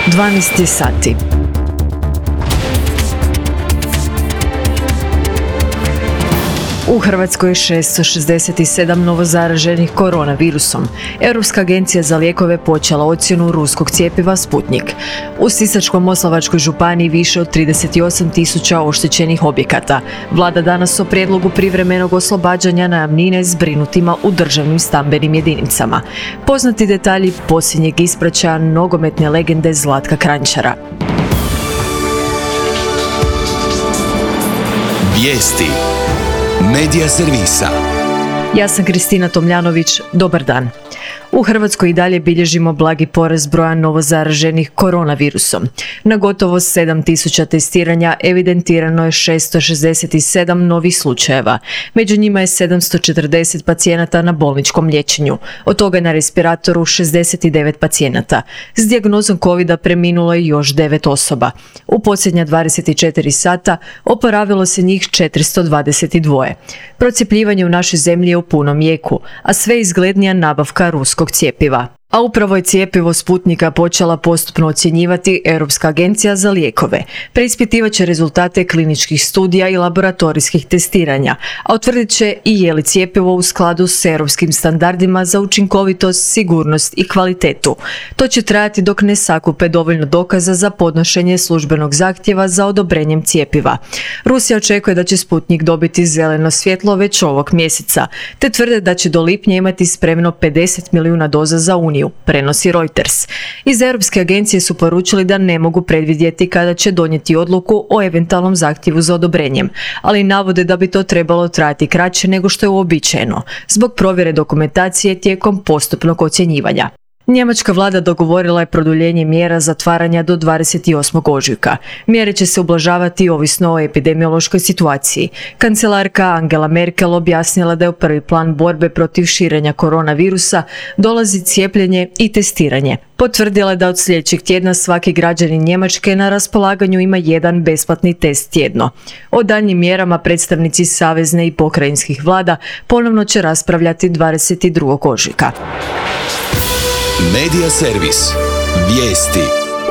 12 sati. U Hrvatskoj je 667 novozaraženih koronavirusom. Europska agencija za lijekove počela ocjenu ruskog cjepiva Sputnik. U Sisačko-moslavačkoj županiji više od 38.000 oštećenih objekata. Vlada danas o prijedlogu privremenog oslobađanja najamnine zbrinutima u državnim stambenim jedinicama. Poznati detalji posljednjeg ispraćaja nogometne legende Zlatka Kranjčara. Vijesti Medija servisa. Ja sam Kristina Tomljanović, dobar dan. U Hrvatskoj i dalje bilježimo blagi porast broja novozaraženih koronavirusom. Na gotovo 7.000 testiranja evidentirano je 667 novih slučajeva. Među njima je 740 pacijenata na bolničkom liječenju. Od toga je na respiratoru 69 pacijenata. S dijagnozom covida preminulo je još 9 osoba. U posljednja 24 sata oporavilo se njih 422. Procjepljivanje u našoj zemlji je u punom jeku, a sve izglednija nabavka ruskog cjepiva. A upravo je cjepivo Sputnika počela postupno ocjenjivati Europska agencija za lijekove. Preispitivat će rezultate kliničkih studija i laboratorijskih testiranja, a utvrdit će i je li cjepivo u skladu s europskim standardima za učinkovitost, sigurnost i kvalitetu. To će trajati dok ne sakupe dovoljno dokaza za podnošenje službenog zahtjeva za odobrenjem cjepiva. Rusija očekuje da će Sputnik dobiti zeleno svjetlo već ovog mjeseca, te tvrde da će do lipnja imati spremno 50 milijuna doza za Uniju, prenosi Reuters. Iz Europske agencije su poručili da ne mogu predvidjeti kada će donijeti odluku o eventualnom zahtjevu za odobrenjem, ali navode da bi to trebalo trajati kraće nego što je uobičajeno, zbog provjere dokumentacije tijekom postupnog ocjenjivanja. Njemačka vlada dogovorila je produljenje mjera zatvaranja do 28. ožujka. Mjere će se ublažavati ovisno o epidemiološkoj situaciji. Kancelarka Angela Merkel objasnila da je u prvi plan borbe protiv širenja koronavirusa dolazi cijepljenje i testiranje. Potvrdila je da od sljedećeg tjedna svaki građanin Njemačke na raspolaganju ima jedan besplatni test tjedno. O daljnjim mjerama predstavnici savezne i pokrajinskih vlada ponovno će raspravljati 22. ožujka. Medija servis. Vijesti.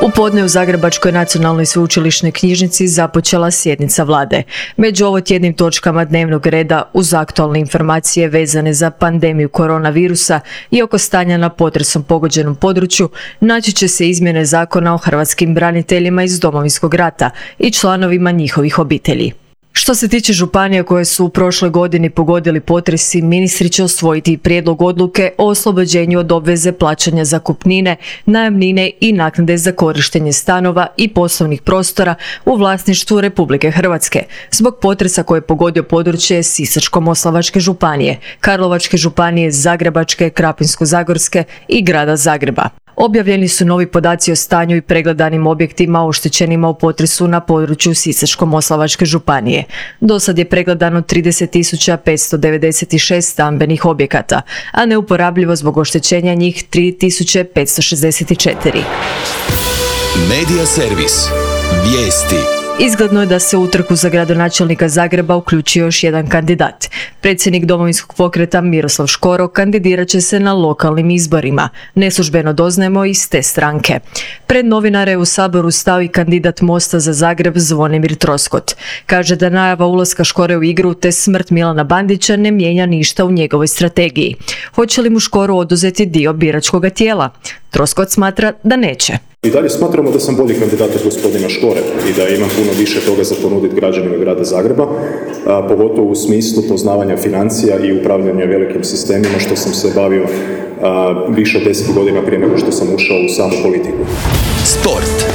U podne u Zagrebačkoj nacionalnoj sveučilišnoj knjižnici započela sjednica vlade. Među ovotjednim točkama dnevnog reda uz aktualne informacije vezane za pandemiju koronavirusa i oko stanja na potresom pogođenom području naći će se izmjene zakona o hrvatskim braniteljima iz Domovinskog rata i članovima njihovih obitelji. Što se tiče županija koje su u prošloj godini pogodili potresi, ministri će usvojiti prijedlog odluke o oslobođenju od obveze plaćanja zakupnine, najamnine i naknade za korištenje stanova i poslovnih prostora u vlasništvu Republike Hrvatske zbog potresa koje je pogodio područje Sisačko-moslavačke županije, Karlovačke županije, Zagrebačke, Krapinsko-zagorske i grada Zagreba. Objavljeni su novi podaci o stanju i pregledanim objektima oštećenima u potresu na području Sisačko-moslavačke županije. Do sad je pregledano 30.596 stambenih objekata, a neuporabljivo zbog oštećenja njih 3.564. Medija servis. Vijesti. Izgledno je da se u utrku za gradonačelnika Zagreba uključio još jedan kandidat. Predsjednik Domovinskog pokreta Miroslav Škoro kandidirat će se na lokalnim izborima. Neslužbeno doznajemo iz te stranke. Pred novinare je u Saboru stao i kandidat Mosta za Zagreb Zvonimir Troskot. Kaže da najava ulaska Škore u igru te smrt Milana Bandića ne mijenja ništa u njegovoj strategiji. Hoće li mu Škoro oduzeti dio biračkoga tijela? Troskot smatra da neće. I dalje smatramo da sam bolji kandidat od gospodina Škore i da imam puno više toga za ponuditi građanima grada Zagreba, pogotovo u smislu poznavanja financija i upravljanja velikim sistemima, što sam se bavio više od 10 godina prije nego što sam ušao u samu politiku. Sport.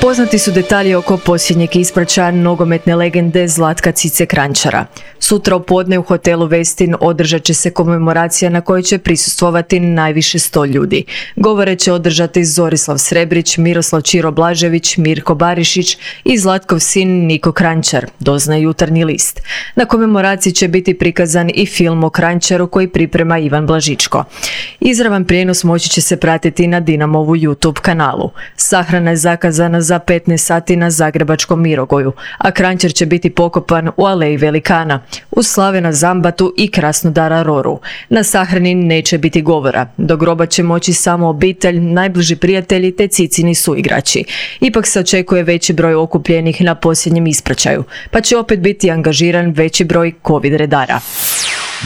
Poznati su detalji oko posljednjeg ispraćaja nogometne legende Zlatka Cice Kranjčara. Sutra u podne u hotelu Westin održat će se komemoracija na kojoj će prisustvovati najviše 100 ljudi. Govore će održati Zorislav Srebrić, Miroslav Čiro Blažević, Mirko Barišić i Zlatkov sin Niko Kranjčar, doznaje Jutarnji list. Na komemoraciji će biti prikazan i film o Kranjčaru koji priprema Ivan Blažičko. Izravan prijenos moći će se pratiti na Dinamovu YouTube kanalu. Sahrana je zakazana za 15 sati na zagrebačkom Mirogoju, a Kranjčar će biti pokopan u Aleji Velikana, uz Slavena Zambatu i Krasnodara Roru. Na sahrani neće biti govora. Do groba će moći samo obitelj, najbliži prijatelji te Cicini suigrači. Ipak se očekuje veći broj okupljenih na posljednjem ispraćaju, pa će opet biti angažiran veći broj COVID redara.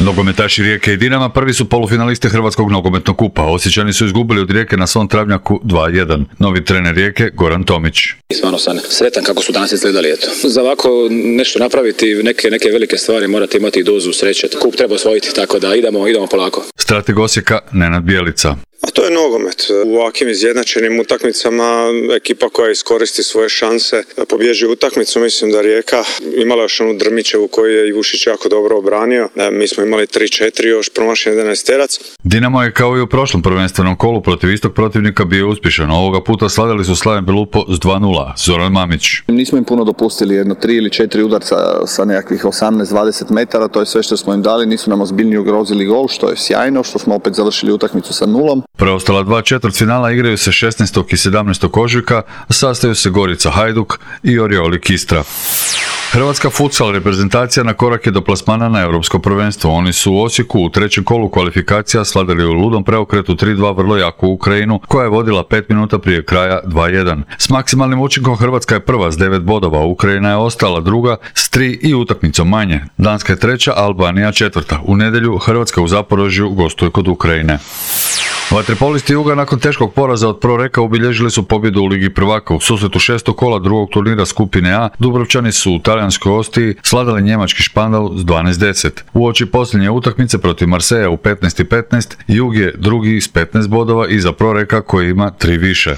Nogometaši Rijeke i Dinama prvi su polufinaliste Hrvatskog nogometnog kupa. Osječani su izgubili od Rijeke na svom travnjaku 2:1. Novi trener Rijeke Goran Tomić. Stvarno sam sretan kako su danas izgledali. Za ovako nešto napraviti, neke velike stvari morate imati dozu sreće. Kup treba osvojiti, tako da idemo polako. Strateg Osijeka Nenad Bjelica. A to je nogomet. U ovakvim izjednačenim utakmicama ekipa koja iskoristi svoje šanse pobježi utakmicu. Mislim da Rijeka imala još onu Drmićevu koju je Ivušić jako dobro obranio. Mi smo imali 3-4 još promašen 11-terac. Dinamo je kao i u prošlom prvenstvenom kolu protiv istog protivnika bio uspješan. Ovoga puta slavili su Slaven Belupo s 2:0. Zoran Mamić. Nismo im puno dopustili, 3 ili 4 udarca sa nekakvih 18-20 metara, to je sve što smo im dali, nisu nam ozbiljnije ugrozili gol, što je sjajno, što smo opet završili utakmicu sa 0. Preostala 2 četvrtfinala igraju se 16. i 17. ožujka, sastaju se Gorica Hajduk i Orioli Kistra. Hrvatska futsal reprezentacija na korak je do plasmana na europsko prvenstvo. Oni su u Osijeku u trećem kolu kvalifikacija slavili u ludom preokretu 3:2 vrlo jaku Ukrajinu, koja je vodila 5 minuta prije kraja 2:1. S maksimalnim učinkom Hrvatska je prva s 9 bodova, Ukrajina je ostala druga s 3 i utakmicom manje. Danska je treća, Albanija četvrta. U nedjelju Hrvatska u Zaporožju gostuje kod Ukrajine. Vaterpolisti Juga nakon teškog poraza od Proreka obilježili su pobjedu u Ligi prvaka. U susretu 6. kola drugog turnira skupine A, Dubrovčani su u talijanskoj Ostiji sladali njemački Špandau s 12:10. Uoči posljednje utakmice protiv Marseja u 15:15, Jug je drugi s 15 bodova iza Proreka koji ima 3 više.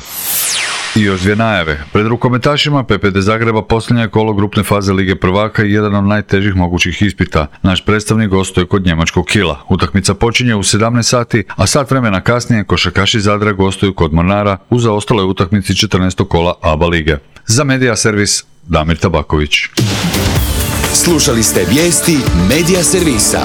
I još 2 najave. Pred rukometašima PPD Zagreba posljednje kolo grupne faze Lige prvaka i jedan od najtežih mogućih ispita. Naš predstavnik gostuje kod njemačkog Kila. Utakmica počinje u 17 sati, a sat vremena kasnije košarkaši Zadra gostuju kod Mornara u zaostaloj utakmici 14. kola ABA lige. Za Medija servis Damir Tabaković. Slušali ste vijesti Medija servisa.